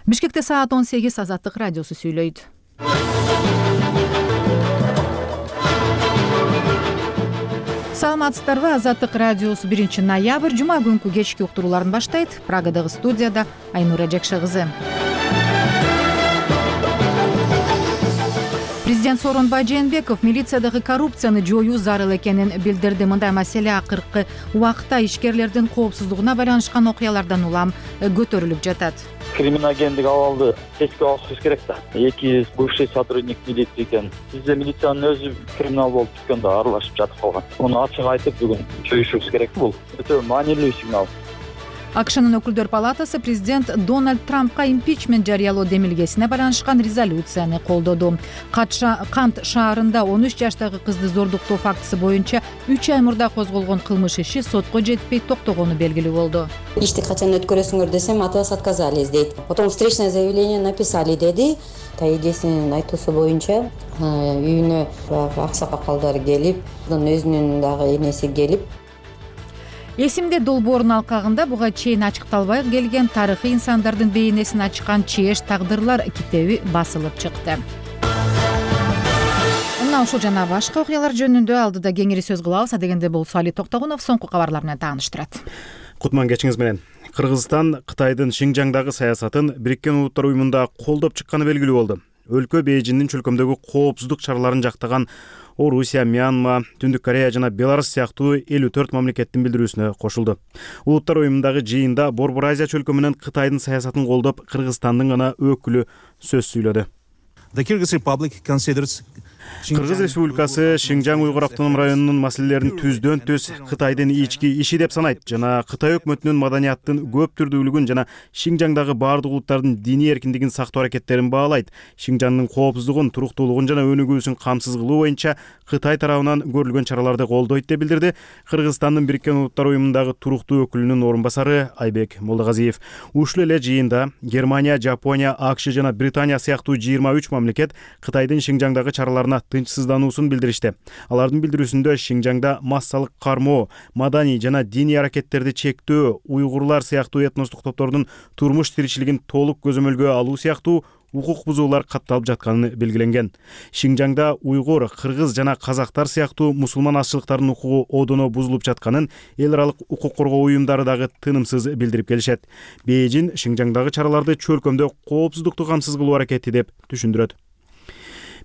Бишкекте саат 18 Азаттык радиосу сүйлөйт. Саламатсыздарбы? Азаттык радиосу 1 ноябрь жума күнкү кечки уктурууларын баштайт. Прагадагы студияда Айнура Жекше кызы. Президент Сооронбай Жээнбеков милициядагы коррупцияны жоюу зарыл экенин билдирди. Мындай маселе акыркы убакта ишкерлердин коопсуздугуна байланышкан окуялардан улам көтөрүлүп жатат. Криминогендик абалды тескире алышыбыз керек да. Эки бывший сотрудник милиции экен. Бизде милициянын өзү криминал болуп түшкөндө аралашып жатып калган. Муну ачык айтып бүгүн жоюшубуз керек. Бул өтө маанилүү сигнал. АКШнын өкүлдөр палатасы президент Дональд Трампка импичмент жарыялоо демилгесине байланышкан резолюцияны колдоду. Кант шаарында 13 жаштагы кызды зордуктоо фактысы боюнча 3 ай мурда козголгон кылмыш иши сотко жетпей токтогону белгилүү болду. Ишти качан өткөрөсүңөр десем, от вас отказались дейт. Потом встречное заявление написали деди. Эжесинин айтуусу боюнча үйүнө аксакалдар келип, өзүнүн дагы энеси келип. Эсимде долбоорунун алкагында буга чейин ачыкталбай келген тарыхый инсандардын бейнесин ачкан чеш тагдырлар китеби басылып чыкты. Мына ушул жана башка окуялар жөнүндө алдыда кеңири сөз кылабыз. Адегенде болсо Али Токтогунов соңку кабарлар менен тааныштырат. Кутман кечиңиз менен. Кыргызстан Кытайдын Шинжаңдагы саясатын Бириккен Улуттар Уюмунда колдоп чыкканы белгилүү болду. Өлкө Бейжиңдин чөлкөмдөгү коопсуздук чараларын жактаган Орусия, Мьянма, Түндүк Корея жана Беларусь сыяктуу 54 мамлекеттин билдирүүсүнө кошулду. Улуттар уюмундагы жыйында Борбор Азия чөлкөмүнөн Кытайдын саясатын колдоп, Кыргызстандын гана өкүлү сөз сүйлөдү. Кыргыз Республикасы Шинжаң уйгур автоном районунун маселелерин түздөн түз Кытайдын ички иши деп санайт жана Кытай өкмөтүнүн маданияттын көп түрдүүлүгүн жана Шинжаңдагы баардык улуттардын диний эркиндигин сактоо аракеттерин баалайт. Шинжаңдын коопсуздугун, туруктуулугун жана өнүгүүсүн камсыз кылуу боюнча Кытай тарабынан көрүлгөн чараларды колдойт деп билдирди Кыргызстандын Бириккен Улуттар Уюмундагы туруктуу өкүлүнүн орун басары Айбек Молдогазиев. Ушул эле жыйында Германия, Жапония, АКШ жана Британия сыяктуу 23 мамлекет Кытайдын Шинжаңдагы чараларына тынчсыздануусун билдиришти. Алардын билдирүүсүндө Шинжаңда массалык кармоо, маданий жана диний аракеттерди чектөө, уйгурлар сыяктуу этностук топтордун турмуш тиричилигин толук көзөмөлгө алуу сыяктуу укук бузуулар катталып жатканы белгиленген. Шинжаңда уйгур, кыргыз жана казактар сыяктуу мусулман азчылыктардын укугу одоно бузулуп жатканын эл аралык укук коргоо уюмдары дагы тынымсыз билдирип келишет. Бейжиң Шинжаңдагы чараларды чөлкөмдө коопсуздукту камсыз кылуу аракети деп түшүндүрөт.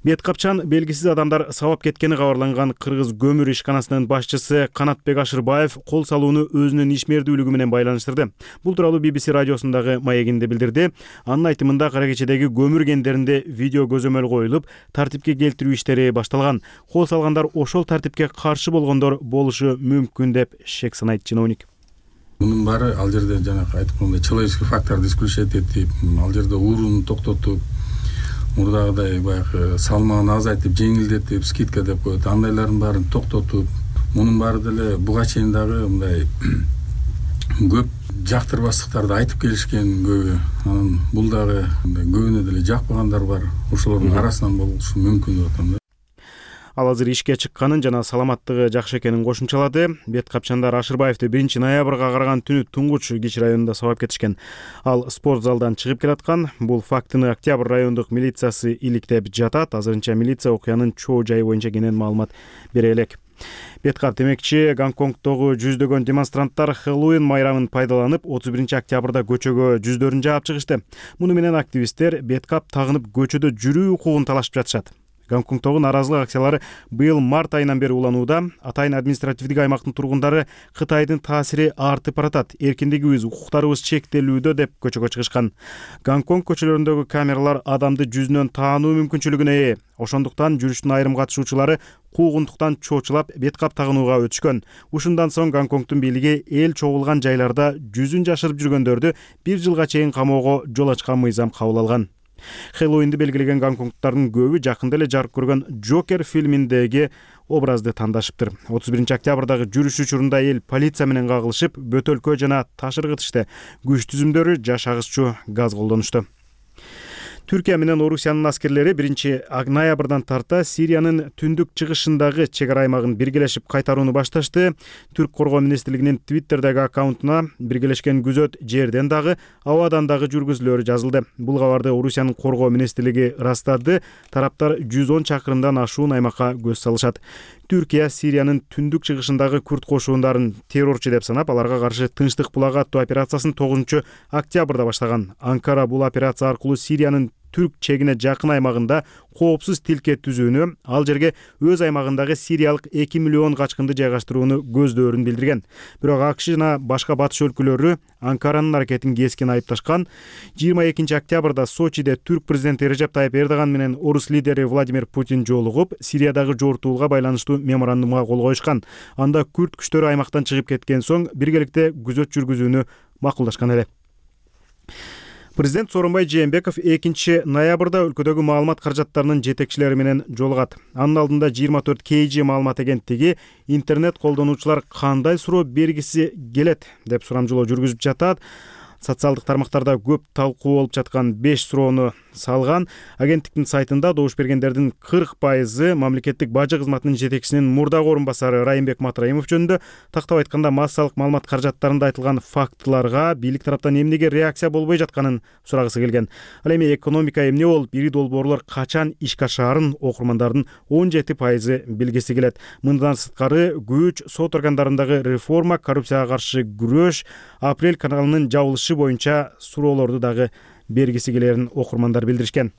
Бет капчан белгисиз адамдар сабап кеткени кабарланган Кыргыз көмүр ишканасынын башчысы Канатбек Ашырбаев кол салууну өзүнүн ишмердүүлүгү менен байланыштырды. Бул тууралуу BBC радиосундагы маегинде билдирди. Анын айтымында кара кечедеги көмүр кендеринде видео көзөмөл коюлуп, тартипке келтирүү иштери башталган. Кол салгандар ошол тартипке каршы болгондор болушу мүмкүн деп шек санайт чиновник. Мунун баары ал жерде жанагы айткандай человеческий факторду исключать этип, ал жерде ууруну токтотуп, мурдагыдай баягы салмагын азайтып, жеңилдетип, скидка деп коет. Андайлардын баарын токтотуп, мунун баары деле буга чейин дагы мындай көп жактырбастыктарды айтып келишкен көбү. Анан бул дагы көбүнө деле жакпагандар бар. Ошолордун арасынан болушу мүмкүн деп атам да. Ал азыр ишке чыкканын жана саламаттыгы жакшы экенин кошумчалады. Бет капчандар Ашырбаевди 1 ноябрга караган түнү Туңгуч Кич районунда сабап кетишкен. Ал спорт залдан чыгып келаткан. Бул фактыны Октябрь райондук милициясы иликтеп жатат. Азырынча милиция окуянын чоо жайы боюнча кенен маалымат бере элек. Беткап демекчи, Гонконгдогу жүздөгөн демонстранттар Хэллоуин майрамын пайдаланып 31 октябрда көчөгө жүздөрүн жаап чыгышты. Муну менен активисттер беткап тагынып көчөдө жүрүү укугун талашып жатышат. Гонконгдогу наразылык акциялары быйыл март айынан бери уланууда. Атайын административдик аймактын тургундары Кытайдын таасири артып баратат, эркиндигибиз, укуктарыбыз чектелүүдө деп көчөгө чыгышкан. Гонконг көчөлөрүндөгү камералар адамды жүзүнөн таануу мүмкүнчүлүгүнө ээ. Ошондуктан жүрүштүн айрым катышуучулары куугунтуктан чоочулап беткап тагынууга өтүшкөн. Ушундан соң Гонконгдун бийлиги эл чогулган жайларда жүзүн жашырып жүргөндөрдү 1 жылга чейин камоого жол ачкан мыйзам кабыл алган. Хэллоуинди белгилеген гонконгдуктардын көбү жакында эле жарык көргөн Джокер фильминдеги образды тандашыптыр. 31 октябрдагы жүрүш учурунда эл полиция менен кагылышып, бөтөлкө жана таш ыргытышты. Күч түзүмдөрү жаш агысчу газ колдонушту. Түркия менен Орусиянын аскерлери 1-ноябрдан тарта Сириянын түндүк чыгышындагы чек ара аймагын биргелешип кайтарууну башташты. Түрк коргоо министрлигинин Twitter'дagi аккаунтуна биргелешкен күзөт жерден дагы, абадан дагы жүргүзүлөөрү жазылды. Бул кабарды Орусиянын коргоо министрлиги ырастады. Тараптар 110 чакырымдан ашуун аймакка көз салышат. Түркия Сириянын түндүк чыгышындагы күрд кошуундарын террорчу деп санап, аларга каршы Тынчтык булагы аттуу операциясын 9 октябрда баштаган. Анкара бул операция аркылуу Сириянын түрк чегине жакын аймагында коопсуз тилке түзүүнү, ал жерге өз аймагындагы сириялык 2 миллион качкынды жайгаштырууну көздөрүн билдирген. Бирок АКШ жана башка батыш өлкөлөрү Анкаранын аракетин кескин айыпташкан. 22 октябрда Сочиде түрк президенти Режеп Тайып Эрдоган менен орус лидери Владимир Путин жолугуп, Сириядагы жортуулга байланыштуу меморандумга кол коюшкан. Анда күрд күчтөрү аймактан чыгып кеткен соң биргеликте күзөт жүргүзүүнү макулдашкан эле. Президент Сооронбай Жээнбеков 2 ноябрда өлкөдөгү маалымат каражаттарынын жетекчилери менен жолугат. Анын алдында 24 KG маалымат агенттиги интернет колдонуучулар кандай суроо бергиси келет деп сурамжылоо жүргүзүп жатат. Социалдык тармактарда көп талкуу болуп жаткан 5 суроону салган. Агенттиктин сайтында добуш бергендердин 40% мамлекеттик бажы кызматынын жетекчисинин мурдагы орун басары Райымбек Матраимов жөнүндө, тактап айтканда массалык маалымат каражаттарында айтылган фактыларга бийлик тараптан эмнеге реакция болбой жатканын сурагысы келген. Ал эми экономика эмне болуп, ири долбоорлор качан ишке ашаарын окурмандардын 17% билгиси келет. Мындан сырткары күч, сот органдарындагы реформа, коррупцияга каршы күрөш, апрель каналынын жабылышы боюнча суроолорду дагы бергиси келерин окурмандар билдиришкен.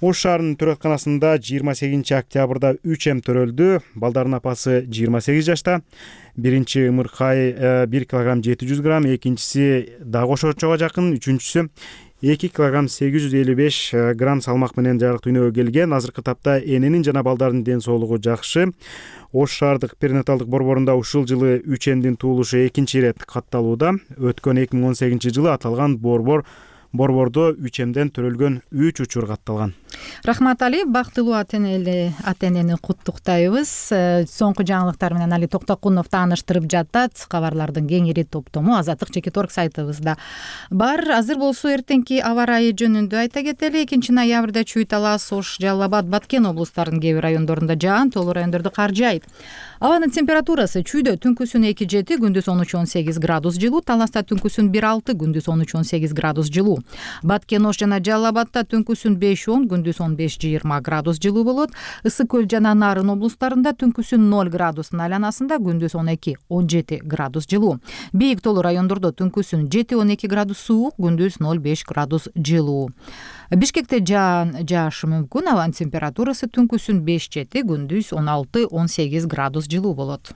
Ош шаарынын төрөтканасында 28 октябрда 3 эм төрөлдү. Балдардын апасы 28 жашта. Биринчи ымыркай 1 кг 700 грамм, экинчиси дагы ошочого жакын, үчүнчүсү 2 кг 855 грамм салмак менен жарык дүйнөгө келген. Азыркы тапта эненин жана балдардын ден соолугу жакшы. Ош шаардык перинаталдык борборунда ушул жылы 3 эмдин туулушу экинчи ирет катталууда. Өткөн 2018 жылы аталган борбордо 3 эмден төрөлгөн 3 учур катталган. Рахмат Али, бактылуу ата-энени куттуктайбыз. Соңку жаңылыктар менен Али Токтокунов тааныштырып жатат. Кабарлардын кеңири топтому Азаттык Чекиторг сайтыбызда бар. Азыр болсо эртеңки аба ырайы жөнүндө айта кетели. 2 ноябрда Чүй Талас, Ош, Жалал Абад, Баткен облустарынын кээ бир райондорунда жаан, тоолуу райондордо кар жаайт. Абанын температурасы Чүйдө түнкүсүн 2-7, күндүз 13-18 градус жылуу, Таласта түнкүсүн 1-6, күндүз 13-18 градус жылуу. Баткен, Ош жана Жалал Абадта түнкүсүн 5-10, күндүз 15-20 градус жылуу болот. Ысык көл жана Нарын облустарында түнкүсүн 0 градустун айланасында, күндүз 12-17 градус жылуу. Бийик тоолуу райондордо түнкүсүн 7-12 градус суук, күндүз 0-5 градус жылуу. Бишкекте жаашы мүмкүн. Абанын температурасы түнкүсүн 5-7, күндүз 16-18 градус жылуу болот.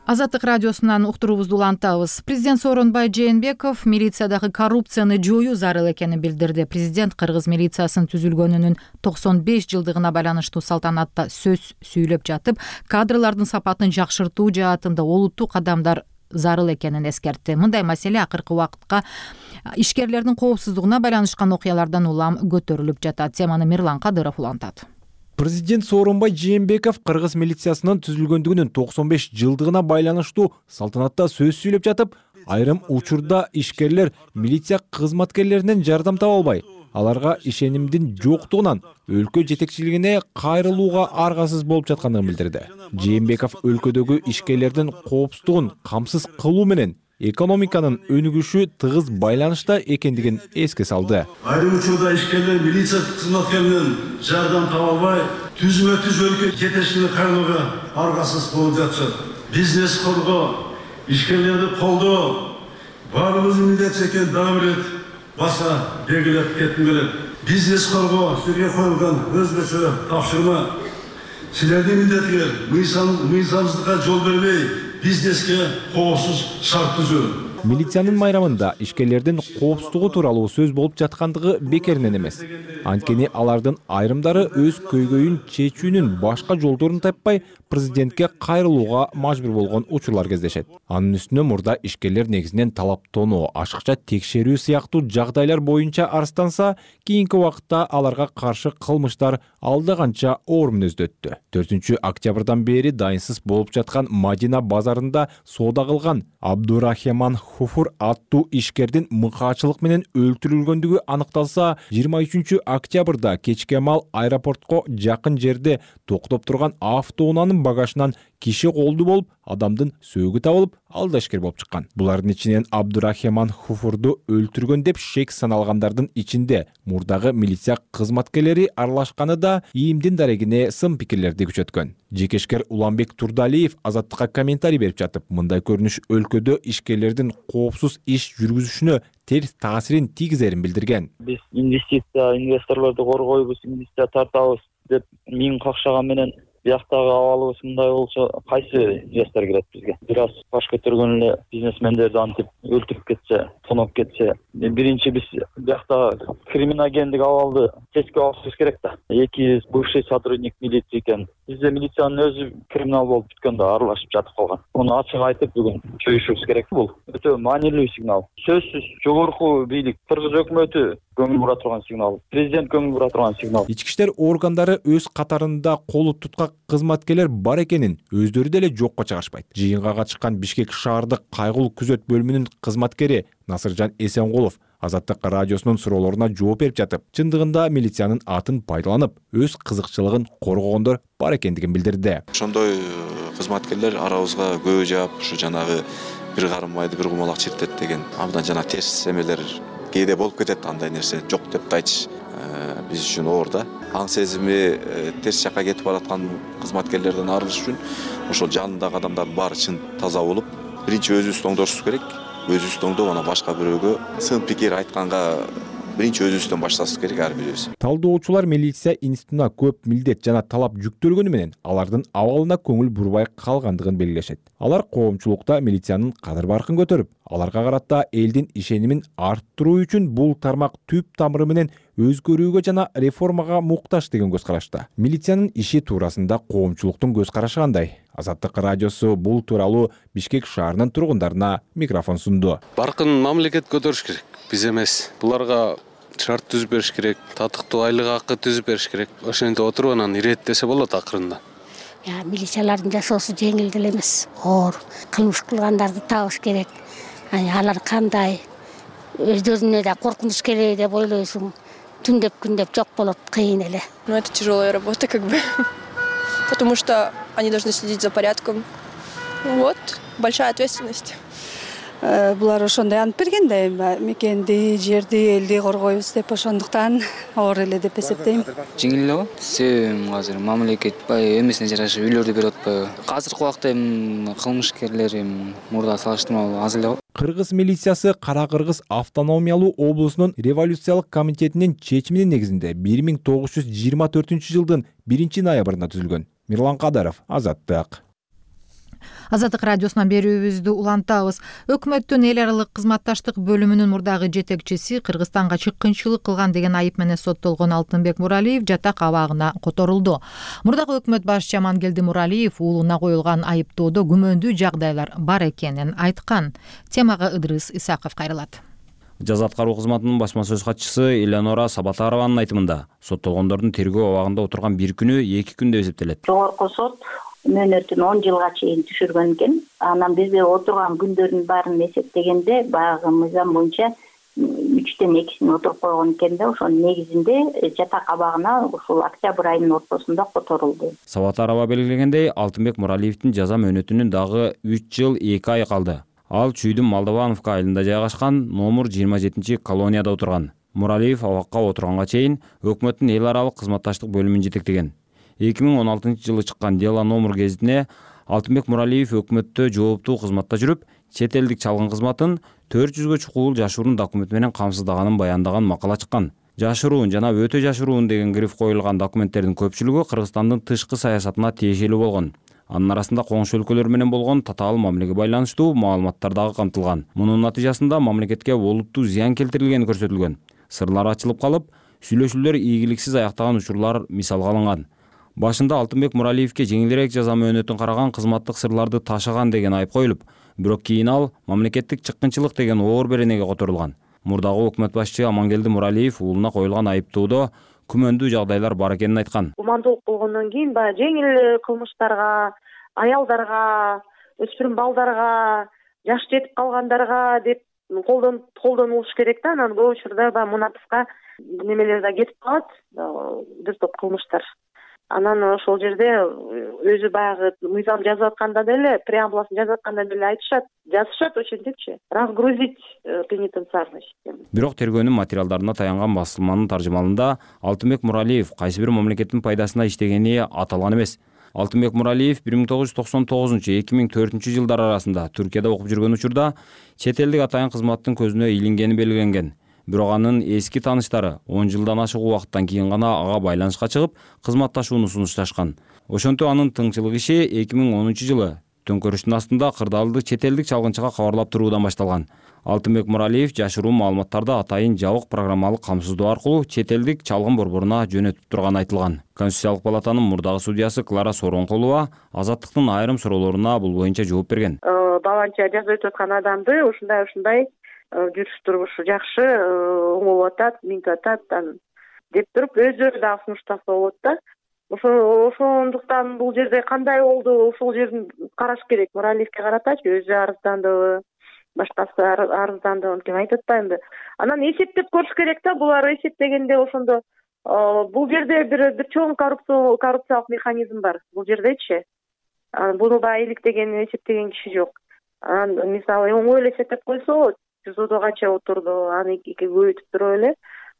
Азаттык радиосунан уктуруубузду улантабыз. Президент Сооронбай Жээнбеков милициядагы коррупцияны жоюу зарыл экенин билдирди. Президент кыргыз милициясынын түзүлгөнүнүн 95 жылдыгына байланыштуу салтанатта сөз сүйлөп жатып, кадрлардын сапатын жакшыртуу жаатында олуттуу кадамдар зарыл экенин эскертти. Мындай маселе акыркы убакытка ишкерлердин коопсуздугуна байланышкан окуялардан улам көтөрүлүп жатат. Теманы Мирлан Кадыров улантат. Президент Сооронбай Жээнбеков кыргыз милициясынын түзүлгөндүгүнүн 95 жылдыгына байланыштуу салтанатта сөз сүйлөп жатып, айрым учурда ишкерлер милиция кызматкерлеринен жардам таба албай, аларга ишенимдин жоктугунан өлкө жетекчилигине кайрылууга аргасыз болуп жаткандыгын билдирди. Жээнбеков өлкөдөгү ишкерлердин коопсуздугун камсыз кылуу менен экономиканын өнүгүшү тыгыз байланышта экендигин эске салды. Айрым учурда ишкерлер милиция кызматкерлеринен жардам таба албай, түзмө-түз өлкө жетекчилигине кайрылууга аргасыз болуп жатышат. Бизнес коргоо, ишкерлерди колдоо баарыбыздын милдет экенин дагы бир ирет баса белгилеп кетким келет. Бизнес коргоо силерге коюлган өзгөчө тапшырма. Силердин милдетиңер мыйзамсыздыкка жол бербей, бизнеске коопсуз шарт түзүү. Милициянын майрамында ишкерлердин коопсуздугу тууралуу сөз болуп жаткандыгы бекеринен эмес. Анткени алардын айрымдары өз көйгөйүн чечүүнүн башка жолдорун таппай президентке кайрылууга мажбур болгон учурлар кездешет. Анын үстүнө мурда ишкерлер негизинен талаптонуу, ашыкча текшерүү сыяктуу жагдайлар боюнча арызданса, кийинки убакытта аларга каршы кылмыштар алда канча оор мүнөздө өттү. 4 октябрдан бери дайынсыз болуп жаткан Мадина базарында соода кылган Абдурахман Хуфур аттуу ишкердин мыкаачылык менен өлтүрүлгөндүгү аныкталса, 23 октябрда кечке мал аэропортко жакын жерде токтоп турган автоунаанын багажынан киши колду болуп, адамдын сөөгү табылып, ал да ишкер болуп чыккан. Булардын ичинен Абдурахман Хуфурду өлтүргөн деп шек саналгандардын ичинде мурдагы милиция кызматкерлери аралашканы да ИИМдин дарегине сын пикирлерди күчөткөн. Жекешкер Уланбек Турдалиев Азаттыкка комментарий берип жатып, мындай көрүнүш өлкөдө ишкерлердин коопсуз иш жүргүзүшүнө терс таасирин тийгизерин билдирген. Биз инвесторлорду коргойбуз, инвестиция тартабыз деп миң какшаган менен бияктагы абалыбыз мындай болсо кайсы инвестор кирет бизге? Бир аз баш көтөргөн эле бизнесмендерди антип өлтүрүп кетсе, тоноп кетсе, биринчи биз бияктагы криминогендик абалды четке алышыбыз керек да. Эки бывший сотрудник милиции экен. Бизде милициянын өзү криминал болуп бүткөндө аралашып жатып калган. Муну ачык айтып бүгүн чөйүшүбүз керек. Бул өтө маанилүү сигнал. Сөзсүз жогорку бийлик, Кыргыз өкмөтү көңүл бура турган сигнал, президент көңүл бура турган сигнал. Ички иштер органдары өз катарында колу туткак кызматкерлер бар экенин өздөрү деле жокко чыгарышпайт. Жыйынга катышкан Бишкек шаардык кайгылуу күзөт бөлүмүнүн кызматкери Насыржан Эсенкулов Азаттык радиосунун суроолоруна жооп берип жатып, чындыгында милициянын атын пайдаланып, өз кызыкчылыгын коргогондор бар экендигин билдирди. Ошондой кызматкерлер арабызга көбү жаап, ушу жанагы бир карым майды бир кумалак чиртет деген абдан жана терс эмелер кээде болуп кетет. Андай нерсе жок деп айтыш биз үчүн оор да. Аң сезими терс жакка кетип бараткан кызматкерлерден арылыш үчүн ошол жанындагы адамдардын баары чын таза болуп, биринчи өзүбүздү оңдошубуз керек. Өзүбүздү оңдоп, анан башка бирөөгө сын пикир айтканга биринчи өзүбүздөн башташыбыз керек ар бирөөбүз. Талдоочулар милиция институтуна көп милдет жана талап жүктөлгөнү менен алардын абалына көңүл бурбай калгандыгын белгилешет. Алар коомчулукта милициянын кадыр-баркын көтөрүп, аларга карата элдин ишенимин арттыруу үчүн бул тармак түп тамыры менен өзгөрүүгө жана реформага муктаж деген көз карашта. Милициянын иши туурасында коомчулуктун көз карашы кандай? Азаттык радиосу бул тууралуу Бишкек шаарынын тургундарына микрофон сунду. Баркын мамлекет көтөрүш керек, биз эмес. Буларга шарт түзүп бериш керек, татыктуу айлык акы түзүп бериш керек. Ошентип отуруп анан иреттесе болот акырында. Милициялардын жашоосу жеңил деле эмес, оор. Кылмыш кылгандарды табыш керек. Алар кандай өздөрүнө да коркунуч келеби деп ойлойсуң. Түндөп күндөп жок болот, кыйын эле. Это тяжелая работа, потому что они должны следить за порядком. Вот, большая ответственность. Булар ошондой ант бергенде мекенди, жерди, элди коргойбуз деп ошондуктан оор эле деп эсептейм. Жеңил эле го. Себеби азыр мамлекет эмесине жараша үйлөрдү берип атпайбы. Азыркы убакта кылмышкерлер мурда салыштырмалуу аз эле го. Кыргыз милициясы Кара Кыргыз автономиялуу облусунун революциялык комитетинин чечиминин негизинде 1924 жылдын 1-ноябрында түзүлгөн. Мирлан Кадаров, Азаттык. Азаттык радиосунан берүүбүздү улантабыз. Өкмөттүн эл аралык кызматташтык бөлүмүнүн мурдагы жетекчиси Кыргызстанга чыккынчылык кылган деген айып менен соттолгон Алтынбек Муралиев жатак абагына которулду. Мурдагы өкмөт башчы Амангелди Муралиев уулуна коюлган айыптоодо күмөндүү жагдайлар бар экенин айткан. Темага Ыдрыс Исаков кайрылат. Жаза аткаруу кызматынын басма сөз катчысы Элеонора Сабатарованын айтымында, соттолгондордун тергөө абагында отурган бир күнү 2 күндө эсептелет. Жогорку сот мөөнөтүн 10 жылга чейин түшүргөн экен. Анан бизде отурган күндөрдүн баарын эсептегенде баягы мыйзам боюнча 3төн 2син отуруп койгон экен да, ошонун негизинде жатак абагына ушул октябрь айынын ортосунда которулду. Сабатарова белгилегендей, Алтынбек Муралиевдин жаза мөөнөтүнүн дагы 3 жыл 2 ай калды. Ал Чүйдүн Молдовановка айылында жайгашкан номер 27 колонияда отурган. Муралиев абакка отурганга чейин өкмөттүн эл аралык кызматташтык бөлүмүн жетектеген. 2016 жылы чыккан Дело номер гезитине Алтынбек Муралиев өкмөттө жооптуу кызматта жүрүп, чет элдик чалгын кызматын 400гө чукул жашыруун документ менен камсыздаганын баяндаган макала чыккан. Жашыруун жана өтө жашыруун деген гриф коюлган документтердин көпчүлүгү Кыргызстандын тышкы саясатына тиешелүү болгон. Анын арасында коңшу өлкөлөр менен болгон татаал мамилеге байланыштуу маалыматтар дагы камтылган. Мунун натыйжасында мамлекетке олуттуу зыян келтирилгени көрсөтүлгөн. Сырлар ачылып калып, сүйлөшүүлөр ийгиликсиз аяктаган учурлар мисалга алынган. Башында Алтынбек Муралиевке жеңилирээк жаза мөөнөтүн караган кызматтык сырларды ташыган деген айып коюлуп, бирок кийин ал мамлекеттик чыккынчылык деген оор беренеге которулган. Мурдагы өкмөт башчы Амангелди Муралиев уулуна коюлган айыптоодо күмөндүү жагдайлар бар экенин айткан. Гумандуулук болгондон кийин баягы жеңил кылмыштарга, аялдарга, өспүрүм балдарга, жаш жетип калгандарга деп колдонулуш керек да. Анан көп учурда баягы мунапыска немелер да кетип калат, бир топ кылмыштар. Анан ошол жерде өзү баягы мыйзам жазып атканда деле, преамбуласын жазып атканда деле жазышат ошентипчи, разгрузить пенитенциарный систему. Бирок тергөөнүн материалдарына таянган басылманын таржымалында Алтынбек Муралиев кайсы бир мамлекеттин пайдасына иштегени аталган эмес. Алтынбек Муралиев 1999-2004 жылдар арасында Түркияда окуп жүргөн учурда чет элдик атайын кызматтын көзүнө илингени белгиленген. Бирок анын эски тааныштары 10 жылдан ашык убакыттан кийин гана ага байланышка чыгып, кызматташууну сунушташкан. Ошентип анын тыңчылык иши 2010 жылы төңкөрүштүн астында кырдаалдык чет элдик чалгынчыга кабарлап туруудан башталган. Алтынбек Муралиев жашыруу маалыматтарды атайын жабык программалык камсыздоо аркылуу чет элдик чалгын борборуна жөнөтүп турганы айтылган. Конституциялык палатанын мурдагы судьясы Клара Сооронкулова Азаттыктын айрым суроолоруна бул боюнча жооп берген. Баланча жазып өтүп аткан адамды ушундай жүрүш турмушу жакшы, оңолуп атат, минтип атат деп туруп өздөрү дагы сунуштаса болот да. Ошондуктан бул жерде кандай болду, ошол жерин караш керек. Муралиевке каратачы өзү арыздандыбы, башкасы арыздандыбы, ким айтып атпаймынбы. Анан эсептеп көрүш керек да, булар эсептегенде ошондо бул жерде бир чоң коррупциялык механизм бар. Бул жердечи. Буну баягы иликтеген, эсептеген киши жок. Анан мисалы оңой эле эсептеп койсо, СИЗОдо канча отурду, аны көбөйтүп туруп эле,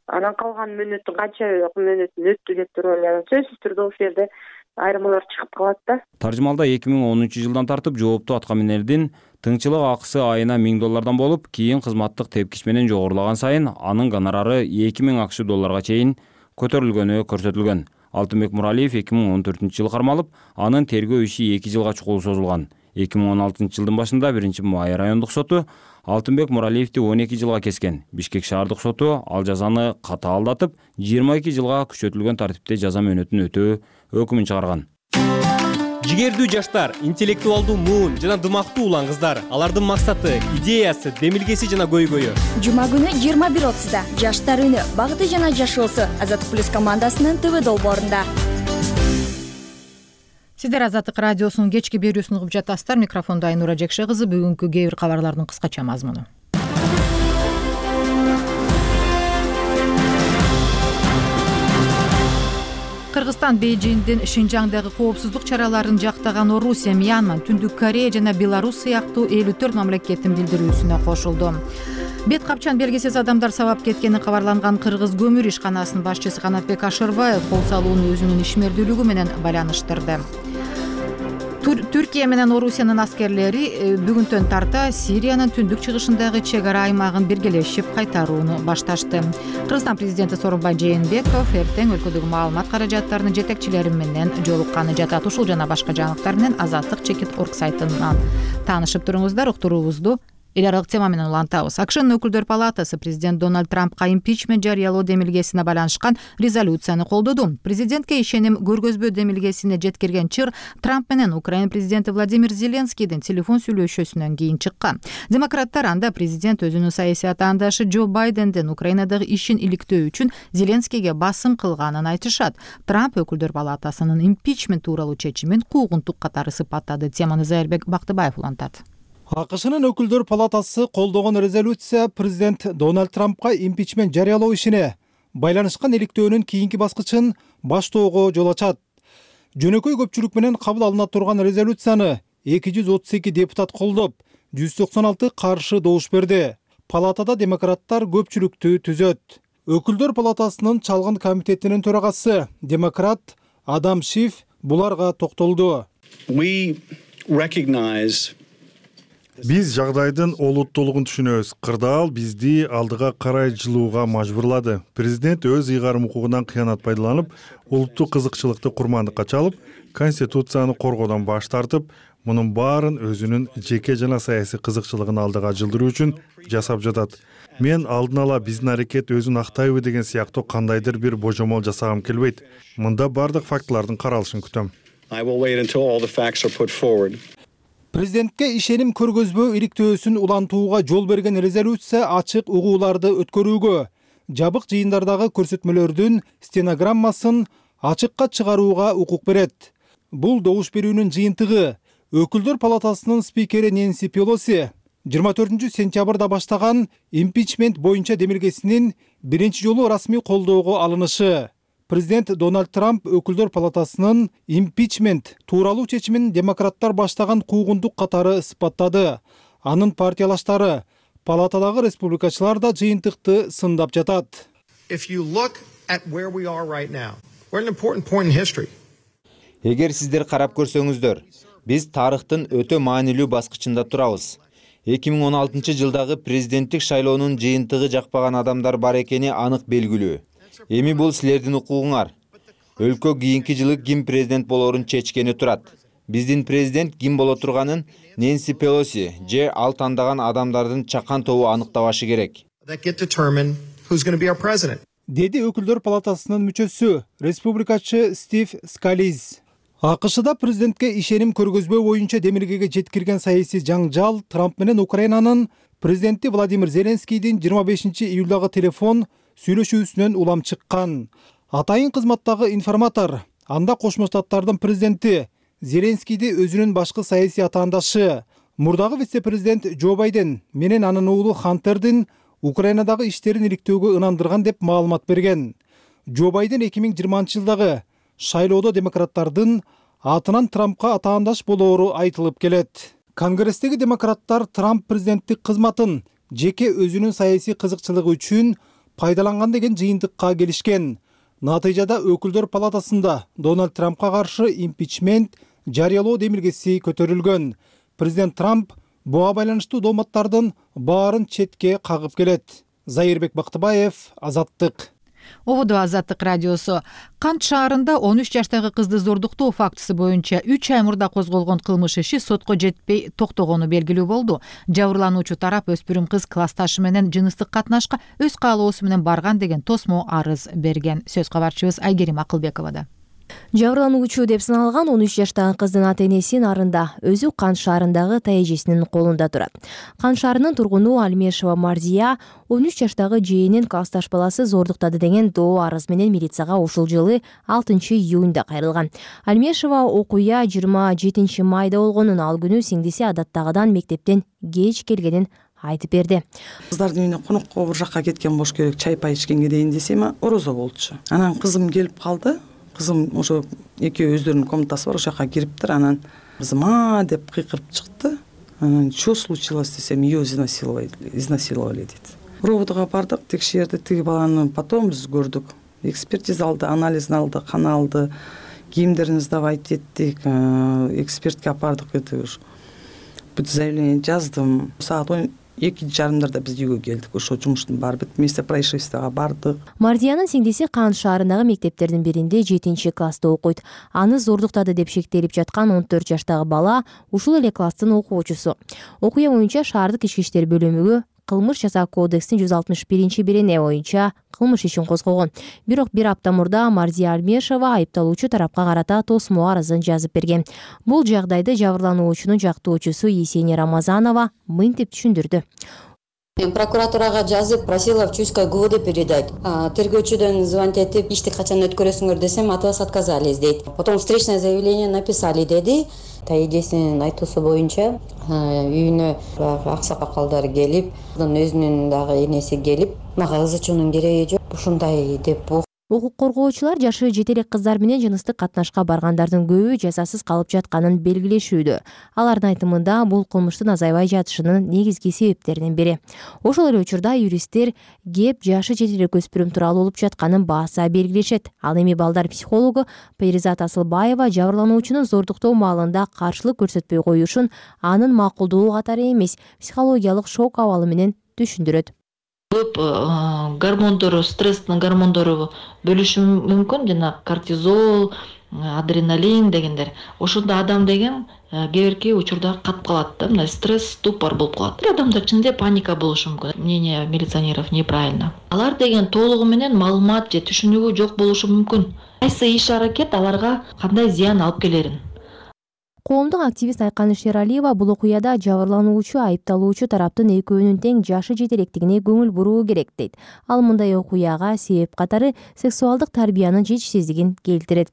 анан калган мөөнөттүн канча мөөнөтүн өттү деп туруп эле, сөзсүз түрдө ошол жерде айырмалар чыгып калат да. Таржымалда 2010 жылдан тартып жооптуу аткаминердин тыңчылык акысы айына $1000 болуп, кийин кызматтык тепкич менен жогорулаган сайын анын гонорары $2000 чейин көтөрүлгөнү көрсөтүлгөн. Алтынбек Муралиев 2014 жылы кармалып, анын тергөө иши 2 жылга чукул созулган. 2016 жылдын башында 1-Май райондук соту Алтынбек Муралиевди 12 жылга кескен. Бишкек шаардык соту ал жазаны катаалдатып, 22 жылга күчөтүлгөн тартипте жаза мөөнөтүн өтөө өкүмүн чыгарган. Жигердүү жаштар, интеллектуалдуу муун жана дымактуу улан кыздар. Алардын максаты, идеясы, демилгеси жана көйгөйү. Жума күнү 21:30 Жаштар үнү, багыты жана жашоосу Азаттык плюс командасынын ТВ долбоорунда. Сиздер Азаттык радиосунун кечки берүүсүн угуп жатасыздар. Микрофондо Айнура Жекше кызы. Бүгүнкү кээ бир кабарлардын кыскача мазмуну. Кыргызстан Бейжиңдин Шинжаңдагы коопсуздук чараларын жактаган Орусия, Мьянма, Түндүк Корея жана Беларусь сыяктуу 54 мамлекеттин билдирүүсүнө кошулду. Бет капчан белгисиз адамдар сабап кеткени кабарланган Кыргыз көмүр ишканасынын башчысы Канатбек Ашырбаев кол салууну өзүнүн ишмердүүлүгү менен байланыштырды. Түркия менен Орусиянын аскерлери бүгүнтөн тарта Сириянын түндүк чыгышындагы чек ара аймагын биргелешип кайтарууну башташты. Кыргызстан президенти Сооронбай Жээнбеков эртең өлкөдөгү маалымат каражаттарынын жетекчилери менен жолукканы жатат. Ушул жана башка жаңылыктар менен Азаттык.org сайтынан таанышып туруңуздар. Уктуруубузду эл аралык тема менен улантабыз. АКШнын өкүлдөр палатасы президент Дональд Трампка импичмент жарыялоо демилгесине байланышкан резолюцияны колдоду. Президентке ишеним көргөзбө демилгесине жеткирген чыр Трамп менен Украина президенти Владимир Зеленскийдин телефон сүйлөшүүсүнөн кийин чыккан. Демократтар анда президент өзүнүн саясий атаандашы Джо Байдендин Украинадагы ишин иликтөө үчүн Зеленскийге басым кылганын айтышат. Трамп өкүлдөр палатасынын импичмент тууралуу чечимин куугунтук катары сыпаттады. Теманы Зайырбек Бактыбаев улантат. АКШнын өкүлдөр палатасы колдогон резолюция президент Дональд Трампка импичмент жарыялоо ишине байланышкан иликтөөнүн кийинки баскычын баштоого жол ачат. Жөнөкөй көпчүлүк менен кабыл алына турган резолюцияны 232 депутат колдоп, 196 каршы добуш берди. Палатада демократтар көпчүлүктү түзөт. Өкүлдөр палатасынын чалгын комитетинин төрагасы демократ Адам Шиф буларга токтолду. Биз жагдайдын олуттуулугун түшүнөбүз. Кырдаал бизди алдыга карай жылууга мажбурлады. Президент өз ыйгарым укугунан кыянат пайдаланып, улуттук кызыкчылыкты курмандыкка чалып, конституцияны коргоодон баш тартып, мунун баарын өзүнүн жеке жана саясий кызыкчылыгын алдыга жылдыруу үчүн жасап жатат. Мен алдын ала биздин аракет өзүн актайбы деген сыяктуу кандайдыр бир божомол жасагым келбейт. Мында бардык фактылардын каралышын күтөм. Президентке ишеним көргөзбөө иликтөөсүн улантууга жол берген резолюция ачык угууларды өткөрүүгө, жабык жыйындардагы көрсөтмөлөрдүн стенограммасын ачыкка чыгарууга укук берет. Бул добуш берүүнүн жыйынтыгы Өкүлдөр палатасынын спикери Нэнси Пелоси 24 сентябрда баштаган импичмент боюнча демилгесинин биринчи жолу расмий колдоого алынышы. Президент Дональд Трамп Өкүлдөр палатасынын импичмент тууралуу чечимин демократтар баштаган куугундук катары сыпаттады. Анын партиялаштары, палатадагы республикачылар да жыйынтыкты сындап жатат. Эгер сиздер карап көрсөңүздөр, биз тарыхтын өтө маанилүү баскычында турабыз. 2016 жылдагы президенттик шайлоонун жыйынтыгы жакпаган адамдар бар экени анык белгилүү. Эми бул силердин укугуңар. Өлкө кийинки жылы ким президент болоорун чечкени турат. Биздин президент ким боло турганын Нэнси Пелоси же ал тандаган адамдардын чакан тобу аныктабашы керек. Деди Өкүлдөр палатасынын мүчөсү, республикачы Стив Скализ. АКШда президентке ишеним көргөзбөө боюнча демилгеге жеткирген саясий жаңжал Трамп менен Украинанын президенти Владимир Зеленскийдин 25 июлдагы телефон сүйлөшүүсүнөн улам чыккан. Атайын кызматтагы информатор, анда Кошмо Штаттардын президенти Зеленскийди өзүнүн башкы саясий атаандашы, мурдагы вице-президент Джо Байден менен анын уулу Хантердин Украинадагы иштерин иликтөөгө ынандырган деп маалымат берген. Джо Байден 2020 жылдагы шайлоодо демократтардын атынан Трампка атаандаш болоору айтылып келет. Конгресстеги демократтар Трамп президенттик кызматын жеке өзүнүн саясий кызыкчылыгы үчүн пайдаланган деген жыйынтыкка келишкен. Натыйжада Өкүлдөр палатасында Дональд Трампка каршы импичмент жарыялоо демилгеси көтөрүлгөн. Президент Трамп буга байланыштуу дооматтардын баарын четке кагып келет. Зайырбек Бактыбаев, Азаттык. Ободо Азаттык радиосу. Кант шаарында 13 жаштагы кызды зордуктоо фактысы боюнча 3 ай мурда козголгон кылмыш иши сотко жетпей токтогону белгилүү болду. Жабырлануучу тарап өспүрүм кыз классташы менен жыныстык катнашка өз каалоосу менен барган деген тосмо арыз берген. Сөз кабарчыбыз Айгерим Акылбековада. Жабырлануучу деп саналган 13 жаштагы кыздын ата-энеси Нарында, өзү Кант шаарындагы тайэжесинин колунда турат. Кант шаарынын тургуну Альмешева Марзия 13 жаштагы жээнин классташ баласы зордуктады деген доо арыз менен милицияга ушул жылы 6 июнда кайрылган. Альмешева окуя 27 майда болгонун, ал күнү сиңдиси адаттагыдан мектептен кеч келгенин айтып берди. Кыздардын үйүнө конокко бир жакка кеткен болуш керек, чай пай ичкенге дейин десем, орозо болчу. Анан кызым келип калды. Кызым ошо экөө өздөрүнүн комнатасы бар, ошол жака кириптир. Анан кызым деп кыйкырып чыкты. Анан что случилось десем, ее изнасиловали дейт. Рободго бардык, текшерди, тиги баланы потом биз көрдүк. Экспертиза алды, анализин алды, кан алды, кийимдерин сдавать эттик, экспертке апардык. Бүт заявление жаздым. Саат 2:30 биз үйгө келдик. Ошо жумуштун баары бүт, место происшествияга бардык. Мардиянын сиңдиси Кант шаарындагы мектептердин биринде 7-класста окуйт. Аны зордуктады деп шектелип жаткан 14 жаштагы бала ушул эле класстын окуучусу. Окуя боюнча шаардык ички иштер бөлүмүгө кылмыш жаза кодекстин 161-бирине боюнча кылмыш ишин козгогон. Бирок бир апта мурда Марзия Альмешева айыпталуучу тарапка карата тосмо арызын жазып берген. Бул жагдайды жабырлануучунун жактоочусу Есения Рамазанова мынтип түшүндүрдү. Прокуратурага жазып, просила в Чуйское ГУВД передать. Тергөөчүдөн звонить этип, ишти качан өткөрөсүңөр десем, от вас отказались дейт. Потом встречное заявление написали деди. Тайэжесинин айтуусу боюнча үйүнө аксакалдар келип, өзүнүн дагы энеси келип, мага ызычуунун кереги жок, ушундай деп. Укук коргоочулар жашы жете элек кыздар менен жыныстык катнашка баргандардын көбү жазасыз калып жатканын белгилешүүдө. Алардын айтымында бул кылмыштын азайбай жатышынын негизги себептеринин бири. Ошол эле учурда юристтер кеп жашы жете элек өспүрүм тууралуу болуп жатканын бааса белгилешет. Ал эми балдар психологу Перизат Асылбаева жабырлануучунун зордуктоо маалында каршылык көрсөтпөй коюшун анын макулдуу катары эмес, психологиялык шок абалы менен түшүндүрөт. Көп гормондору, стресстин гормондору бөлүшү мүмкүн, жана кортизол, адреналин дегендер. Ошондо адам деген кээ бирки учурда катып калат да, мына стресс, ступор болуп калат. Адамда чынында паника болушу мүмкүн. Мнение милиционеров неправильно. Алар деген толугу менен маалымат же түшүнүгү жок болушу мүмкүн. Кайсы иш-аракет аларга кандай зыян алып келерин. Коомдук активист Айкан Шералиева бул окуяда жабырлануучу айыпталуучу тараптын экөөнүн тең жашы жетелектигине көңүл буруу керек дейт. Ал мындай окуяга себеп катары сексуалдык тарбиянын жетишсиздигин келтирет.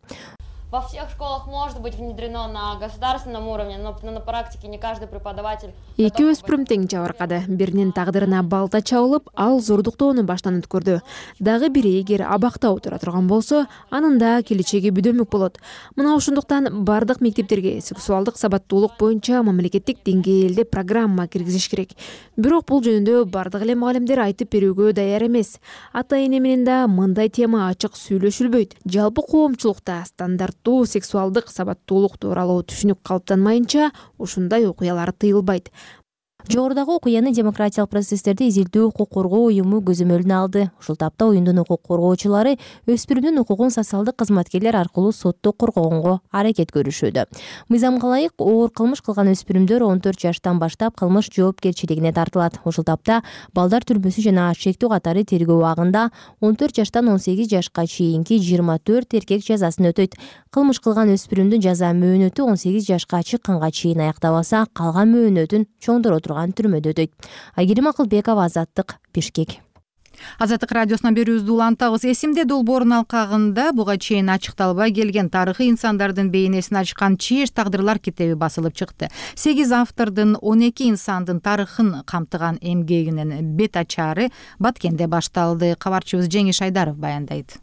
Во всех школах может быть внедрено на государственном уровне, но на практике не каждый преподаватель. Эки өспүрүм тең жабыркады. Биринин тагдырына балта чабылып, ал зордуктоону баштан өткөрдү. Дагы бири эгер абакта отура турган болсо, анын да келечеги бүдөмүк болот. Мына ошондуктан бардык мектептерге сексуалдык сабаттуулук боюнча мамлекеттик деңгээлде программа киргизиш керек. Бирок бул жөнүндө бардык эле мугалимдер айтып берүүгө даяр эмес. Ата-эне менен да мындай тема ачык сүйлөшүлбөйт. Жалпы коомчулукта стандарт сексуалдык сабаттуулук тууралуу түшүнүк калыптанмайынча ушундай окуялар тыйылбайт. Жогорудагы окуяны демократиялык процесстерди изилдөө укук коргоо уюму көзөмөлүнө алды. Ушул тапта уюмдун укук коргоочулары өспүрүмдүн укугун социалдык кызматкерлер аркылуу сотто коргогонго аракет көрүшүүдө. Мыйзамга ылайык оор кылмыш кылган өспүрүмдөр 14 жаштан баштап кылмыш жоопкерчилигине тартылат. Ушул тапта балдар түрмөсү жана чектүү катары тергөө убагында 14 жаштан 18 жашка чейинки 24 эркек жазасын өтөйт. Кылмыш кылган өспүрүмдүн жаза мөөнөтү 18 жашка чыкканга чейин аяктабаса, калган мөөнөтүн чоңдоро түрмөдө өтөйт. Айгерим Акылбекова, Азаттык, Бишкек. Азаттык радиосуна берүүбүздү улантабыз. Эсимде долбоорунун алкагында буга чейин ачыкталбай келген тарыхый инсандардын бейнесин ачкан Чиеш тагдырлар китеби басылып чыкты. 8 автордун 12 инсандын тарыхын камтыган эмгегинин бет ачары Баткенде башталды. Кабарчыбыз Жеңиш Айдаров баяндайт.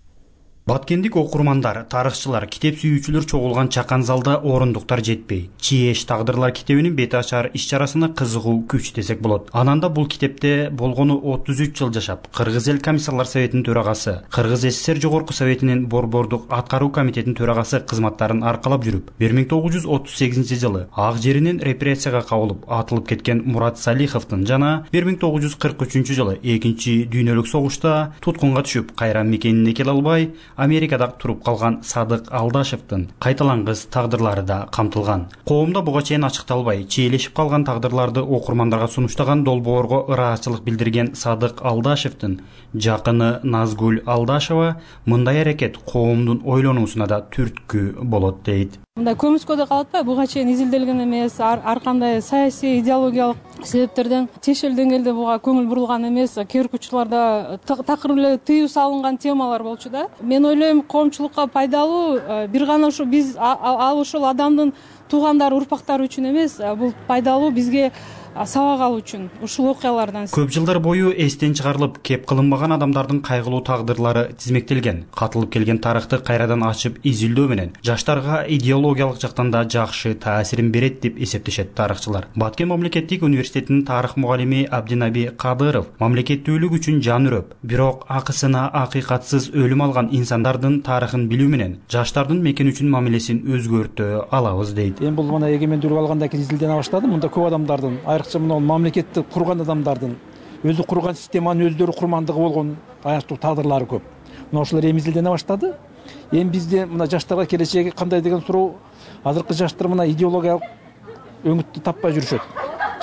Баткендик окурмандар, тарыхчылар, китеп сүйүүчүлөр чогулган чакан залда орундуктар жетпей. Чиеш тагдырлар китебинин бет ачар иш-чарасына кызыгуу күч десек болот. Ананда бул китепте болгону 33 жыл жашап, Кыргыз эл комиссарлар советинин төрагасы, Кыргыз СССР жогорку советинин борбордук аткаруу комитетинин төрагасы кызматтарын аркалап жүрүп, 1938-жылы ак жеринен репрессияга кабылып атылып кеткен Мурат Салиховдун жана 1943-жылы экинчи дүйнөлүк согушта туткунга түшүп, кайра мекенине келе албай Америкада туруп калган Садык Алдашевдин кайталангыс тагдырлары да камтылган. Коомдо буга чейин ачыкталбай, чиелешип калган тагдырларды окурмандарга сунуштаган долбоорго ыраазычылык билдирген Садык Алдашевдин жакыны Назгүл Алдашева мындай аракет коомдун ойлонуусуна да түрткү болот дейт. Мындай көмүскөдө калат да, буга чейин изилделген эмес, ар кандай саясий, идеологиялык себептерден тиешелүү деңгээлде буга көңүл бурулган эмес, кээ бир учурларда такыр эле тыюу салынган темалар болчу да. Мен ойлойм, коомчулукка пайдалуу бир гана ушу биз ал ошол адамдын туугандары, урпактары үчүн эмес, бул пайдалуу бизге сабак алуу үчүн ушул окуялардан. Көп жылдар бою эстен чыгарылып, кеп кылынбаган адамдардын кайгылуу тагдырлары тизмектелген. Катылып келген тарыхты кайрадан ачып изилдөө менен жаштарга идеологиялык жактан да жакшы таасирин берет деп эсептешет тарыхчылар. Баткен мамлекеттик университетинин тарых мугалими Абдинаби Кадыров мамлекеттүүлүк үчүн жан үрөп, бирок акысына акыйкатсыз өлүм алган инсандардын тарыхын билүү менен жаштардын мекен үчүн мамилесин өзгөртө алабыз дейт. Бул мына эгемендүүлүк алгандан кийин изилдене баштады. Мында көп адамдардын, айрыкча мына мамлекетти курган адамдардын өзү курган системанын өздөрү курмандыгы болгон аяктуу тагдырлары көп. Мына ошолор эми изилдене баштады. Эми бизде мына жаштарга келечеги кандай деген суроо. Азыркы жаштар мына идеологиялык өңүттү таппай жүрүшөт.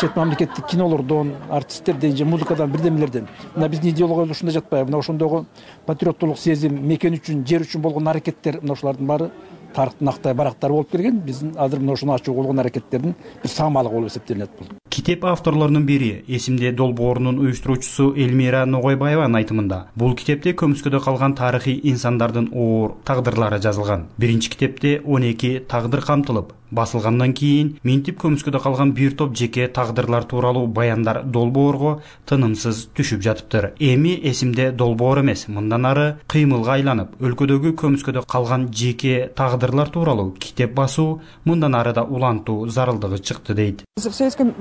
Чет мамлекеттик кинолордон, артисттерден же музыкадан бирдемелерден. Мына биздин идеологиябыз ушунда жатпайбы? Мына ошондогу патриоттуулук сезим, мекен үчүн, жер үчүн болгон аракеттер, мына ошолордун баары тарыхтын актай барактары болуп келген. Биздин азыр мына ушуну ачуу болгон аракеттердин бир саамалыгы болуп эсептелет бул. Китеп авторлорунун бири, эсимде долбоорунун уюштуруучусу Элмира Ногойбаеванын айтымында, бул китепте көмүскөдө калган тарыхый инсандардын оор тагдырлары жазылган. Биринчи китепте 12 тагдыр камтылып, басылгандан кийин минтип көмүскөдө калган бир топ жеке тагдырлар тууралуу баяндар долбоорго тынымсыз түшүп жатыптыр. Эми эсимде долбоор эмес, мындан ары кыймылга айланып, өлкөдөгү көмүскөдө калган жеке тагдырлар тууралуу китеп басуу мындан ары да улантуу зарылдыгы чыкты дейт. В советском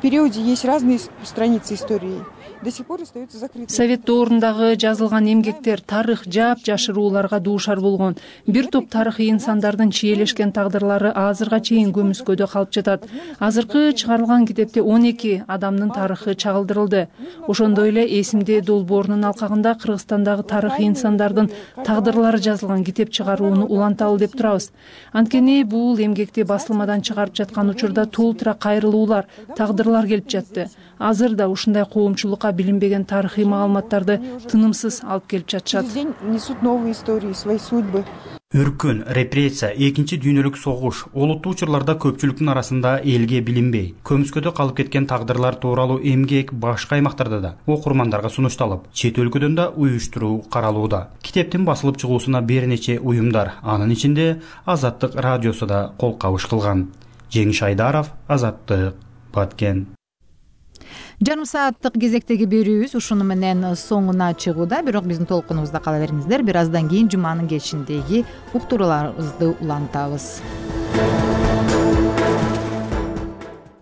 периоде есть разные страницы истории. совет доорундагы жазылган эмгектер тарых жапжашырууларга дуушар болгон. Бир топ тарыхый инсандардын чиелешкен тагдырлары азырга чейин көмүскөдө калып жатат. Азыркы чыгарылган китепте 12 адамдын тарыхы чагылдырылды. Ошондой эле эсимде долбоорунун алкагында Кыргызстандагы тарыхый инсандардын тагдырлары жазылган китеп чыгарууну уланталы деп турабыз. Анткени бул эмгекти басылмадан чыгарып жаткан учурда толтура кайрылуулар, тагдырлар келип жатты. Азыр да ушундай коомчулукка билинбеген тарыхый маалыматтарды тынымсыз алып келип жатышат. Өркүн, репрессия, экинчи дүйнөлүк согуш, олуттуу учурларда көпчүлүктүн арасында элге билинбей, көмүскөдө калып кеткен тагдырлар тууралуу эмгек башка аймактарда да окурмандарга сунушталып, чет өлкөдөн да уюштуруу каралууда. Китептин басылып чыгуусуна бир нече уюмдар, анын ичинде Азаттык радиосу да кол кабыш кылган. Жеңиш Айдаров, Азаттык, Баткен. Жарым сааттык кезектеги берүүбүз ушуну менен соңуна чыгууда, бирок биздин толкунубузда кала бериңиздер. Бир аздан кийин жуманын кечиндеги уктурууларыбызды улантабыз.